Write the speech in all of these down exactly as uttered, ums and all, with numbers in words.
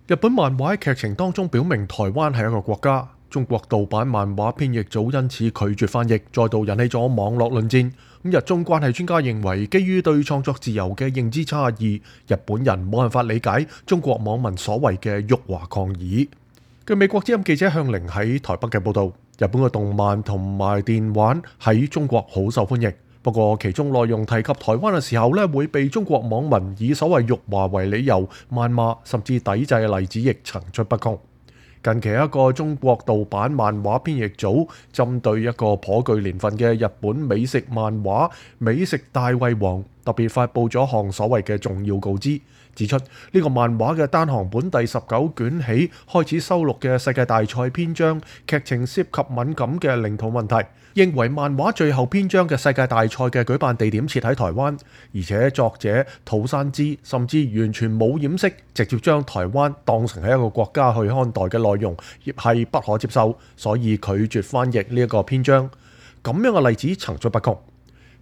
日本漫畫喺劇情當中表明台灣係一個國家，中國盜版漫畫編譯組因此拒絕翻譯，再度引起咗網絡論戰。咁日中關係專家認為，基於對創作自由嘅認知差異，日本人冇辦法理解中國網民所謂嘅辱華抗議。據美國之音記者向玲喺台北嘅報導，日本嘅動漫同埋電玩喺中國好受歡迎。不過其中內容提及台灣嘅時候咧，會被中國網民以所謂辱華為理由謾罵，甚至抵制嘅例子亦層出不窮。近期一個中國盜版漫畫編譯組針對一個頗具年份嘅日本美食漫畫《美食大胃王》，特別發布咗項所謂嘅重要告知，指出呢個漫畫嘅單行本第十九卷起開始收錄嘅世界大賽篇章，劇情涉及敏感嘅領土問題，認為漫畫最後篇章嘅世界大賽嘅舉辦地點設喺台灣，而且作者土山之甚至完全冇掩飾，直接將台灣當成係一個國家去看待嘅內容，亦係不可接受，所以拒絕翻譯呢一個篇章。咁樣嘅例子層出不窮。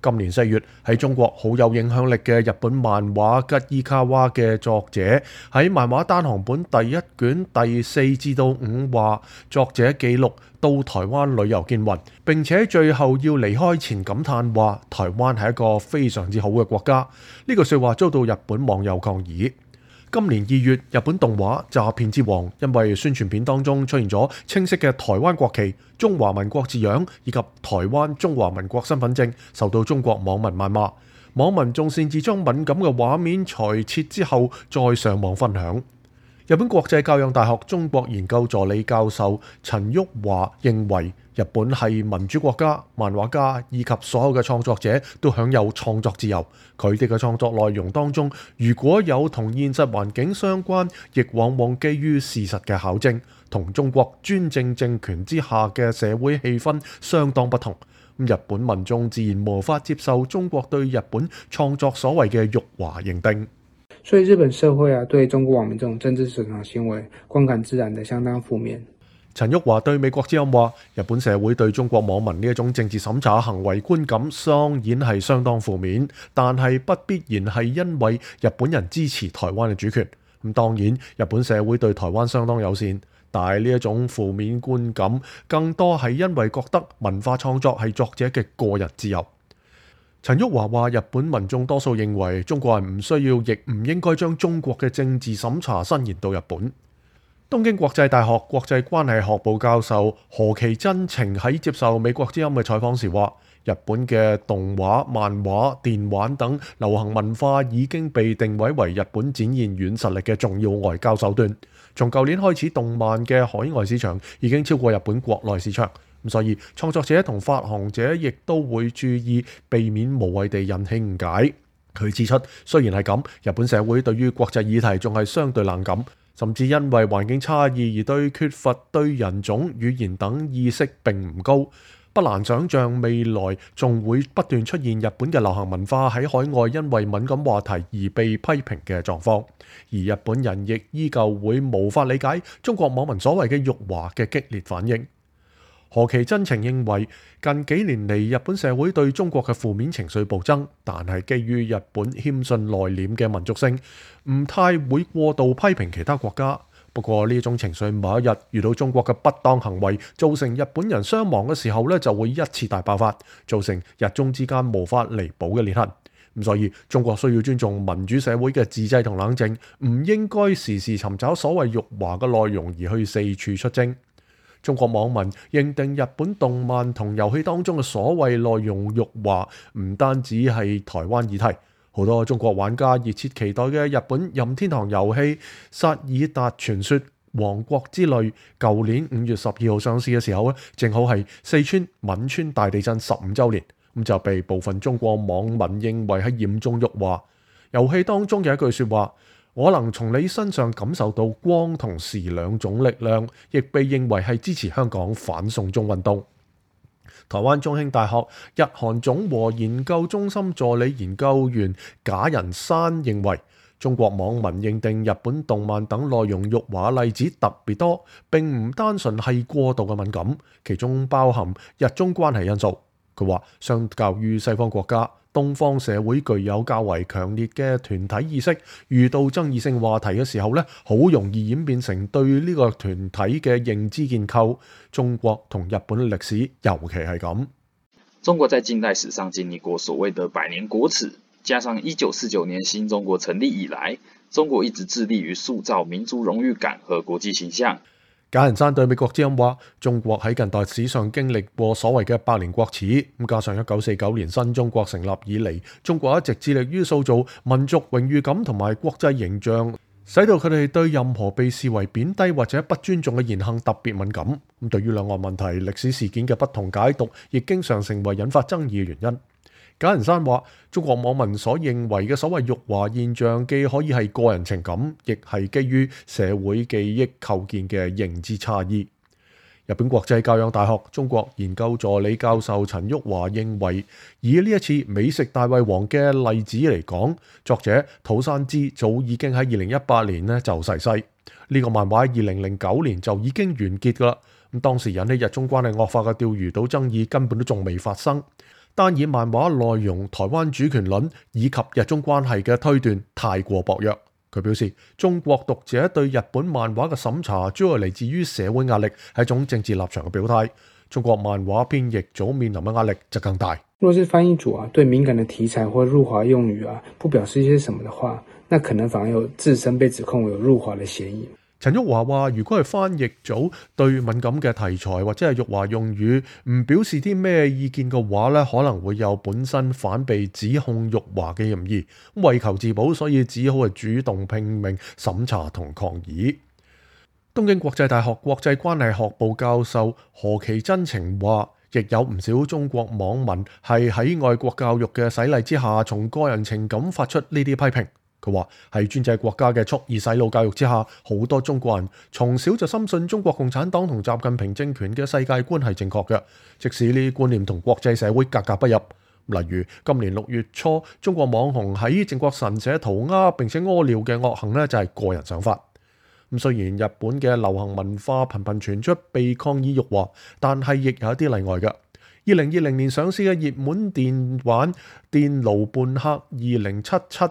今年四月喺中國好有影響力嘅日本漫畫吉伊卡娃嘅作者喺漫畫單行本第一卷第四至到五話，作者記錄到台灣旅遊見雲，並且最後要離開前感嘆話台灣係一個非常之好嘅國家。呢句說話遭到日本網友抗議。今年二月，日本動畫《詐騙之王》因為宣傳片當中出現咗清晰嘅台灣國旗、中華民國字樣以及台灣中華民國身份證，受到中國網民謾罵。網民仲擅自將敏感嘅畫面裁切之後再上網分享。日本國際教養大學中國研究助理教授陳旭華認為，日本係民主國家，漫畫家以及所有嘅創作者都享有創作自由。佢哋嘅創作內容當中，如果有同現實環境相關，亦往往基於事實嘅考證，同中國專政政權之下嘅社會氣氛相當不同。日本民眾自然無法接受中國對日本創作所謂嘅辱華認定。所以日本社會啊，對中國網民這種政治審查行為觀感自然的相當負面。陳旭華對美國之音話，日本社會對中國網民呢一種政治審查行為觀感當然係相當負面，但係不必然係因為日本人支持台灣嘅主權。咁當然日本社會對台灣相當友善，但係呢一種負面觀感更多係因為覺得文化創作係作者嘅個人自由。陳旭華話，日本民眾多數認為中國人唔需要亦唔應該將中國嘅政治審查伸延到日本。東京國際大學國際關係學部教授何其真情喺接受美國之音嘅採訪時話，日本嘅動畫、漫畫、電玩等流行文化已經被定位為日本展現軟實力嘅重要外交手段。從舊年開始，動漫嘅海外市場已經超過日本國內市場。咁所以創作者同發行者亦都會注意避免無謂地引起誤解。佢指出，雖然係咁，日本社會對於國際議題仲係相對冷感，甚至因為環境差異而對缺乏對人種、語言等意識並唔高。不難想像未來仲會不斷出現日本嘅流行文化喺海外因為敏感話題而被批評嘅狀況，而日本人亦依舊會無法理解中國網民所謂嘅辱華嘅激烈反應。何其真情認為，近幾年嚟日本社會對中國嘅負面情緒暴增，但係基於日本謙遜內斂嘅民族性，唔太會過度批評其他國家。不過呢種情緒某一日遇到中國嘅不當行為，造成日本人傷亡嘅時候咧，就會一次大爆發，造成日中之間無法彌補嘅裂痕。咁所以中國需要尊重民主社會嘅自制同冷靜，唔應該時時尋找所謂辱華嘅內容而去四處出征。中國網民認定日本動漫同遊戲當中嘅所謂內容辱華，唔單止係台灣議題，好多中國玩家熱切期待嘅日本任天堂遊戲《薩爾達傳說：王國之淚》，舊年五月十二號上市嘅時候咧，正好係四川汶川大地震十五週年，咁就被部分中國網民認為係嚴重辱華。遊戲當中嘅一句説話，我能從你身上感受到光同時兩種力量，亦被認為係支持香港反送中運動。台灣中興大學日韓總和研究中心助理研究員賈仁山認為，中國網民認定日本動漫等內容辱華例子特別多，並唔單純係過度嘅敏感，其中包含日中關係因素。佢話，相較於西方國家，東方社會具有較為強烈嘅團體意識，遇到爭議性話題嘅時候咧，好容易演變成對呢個團體嘅認知建構。中國同日本嘅歷史尤其係咁。中國在近代史上經歷過所謂的百年國恥，加上一九四九年新中國成立以來，中國一直致力於塑造民族榮譽感和國際形象。簡仁山對美國之音話：中國喺近代史上經歷過所謂嘅百年國恥，咁加上一九四九年新中國成立以嚟，中國一直致力於塑造民族榮譽感同埋國際形象，使到佢哋對任何被視為貶低或者不尊重嘅言行特別敏感。咁對於兩岸問題、歷史事件嘅不同解讀，亦經常成為引發爭議嘅原因。簡仁山話：中國網民所認為嘅所謂辱華現象，既可以係個人情感，亦係基於社會記憶構建嘅認知差異。日本國際教養大學中國研究助理教授陳旭華認為，以呢一次美食大胃王嘅例子嚟講，作者土山之早已經喺二零一八年呢就逝世。呢、這個漫畫喺二零零九年就已經完結噶啦。咁當時引起日中關係惡化嘅釣魚島爭議根本都仲未發生。單以漫畫內容、台灣主權論以及日中關係嘅推斷太過薄弱。佢表示，中國讀者對日本漫畫嘅審查主要嚟自於社會壓力，係一種政治立場嘅表態。中國漫畫編譯組面臨嘅壓力就更大。若是翻譯組啊，對敏感的題材或辱華用語啊，不表示一些什麼的話，那可能反而有自身被指控有辱華的嫌疑。陳旭華話：如果係翻譯組對敏感嘅題材或者係辱華用語唔表示啲咩意見嘅話咧，可能會有本身反被指控辱華嘅嫌疑。為求自保，所以只好係主動拼命審查同抗議。東京國際大學國際關係學部教授何其真情話：亦有唔少中國網民係喺愛國教育嘅洗禮之下，從個人情感發出呢啲批評。佢話喺專制國家嘅蓄意洗腦教育之下，好多中國人從小就深信中國共產黨同習近平政權嘅世界觀係正確嘅，即使呢啲觀念同國際社會格格不入。例如今年六月初，中國網紅喺靖國神社塗鴉並且屙尿嘅惡行呢，就係個人想法。咁雖然日本嘅流行文化頻頻傳出被抗議辱華，但係亦有一啲例外嘅。二零二零年上市嘅熱門電玩電爐伴客二零七七。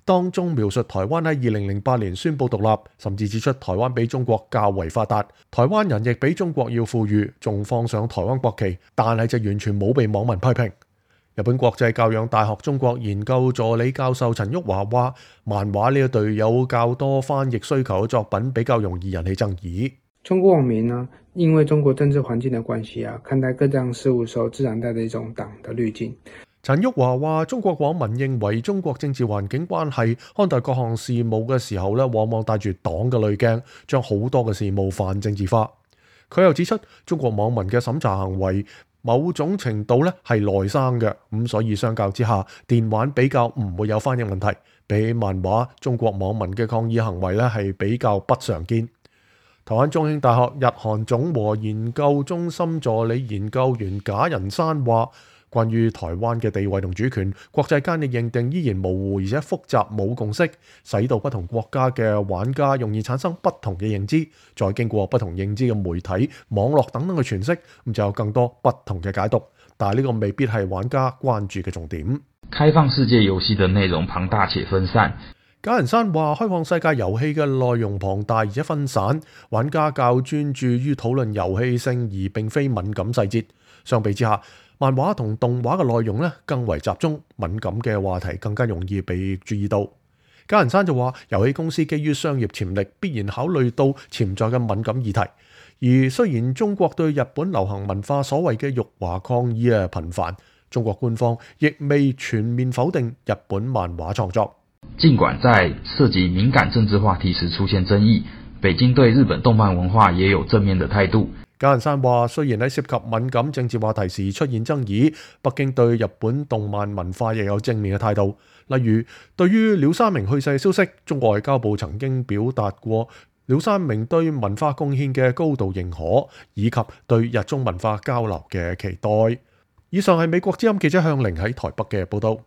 當中描述台灣喺二零零八年宣布獨立，甚至指出台灣比中國較為發達，台灣人亦比中國要富裕，仲放上台灣國旗，但係就完全冇被網民批評。日本國際教養大學中國研究助理教授陳旭華話：漫畫呢一類有較多翻譯需求嘅作品比較容易引起爭議。中國網民呢，因為中國政治環境嘅關係啊，看待各樣事物時候自然帶着一種黨的濾鏡。陳旭華話：中國網民認為中國政治環境關係，看待各項事務嘅時候咧，往往帶住黨嘅濾鏡，將好多嘅事務泛政治化。佢又指出，中國網民嘅審查行為某種程度咧係內生嘅，咁所以相較之下，電玩比較唔會有翻譯問題。比起漫畫，中國網民嘅抗議行為咧係比較不常見。台灣中興大學日韓總和研究中心助理研究員賈仁山話：關於台灣嘅地位同主權，國際間嘅認定依然模糊而且複雜，冇共識，使到不同國家嘅玩家容易產生不同嘅認知，再經過不同認知嘅媒體、網絡等等嘅詮釋，咁就有更多不同嘅解讀。但係呢個未必係玩家關注嘅重點。開放世界遊戲嘅內容龐大且分散。賈仁山話：開放世界遊戲嘅內容龐大而且分散，玩家較專注於討論遊戲性而並非敏感細節。相比之下，漫畫同動畫嘅內容咧更為集中，敏感嘅話題更加容易被注意到。賈仁山就話：遊戲公司基於商業潛力，必然考慮到潛在嘅敏感議題。而雖然中國對日本流行文化所謂嘅辱華抗議啊頻繁，中國官方亦未全面否定日本漫畫創作。儘管在涉及敏感政治話題時出現爭議，北京對日本動漫文化也有正面的態度。賈仁山話：雖然喺涉及敏感政治話題時出現爭議，北京對日本動漫文化亦有正面嘅態度。例如，對於廖三明去世消息，中國外交部曾經表達過廖三明對文化貢獻嘅高度認可，以及對日中文化交流嘅期待。以上係美國之音記者向凌喺台北嘅報道。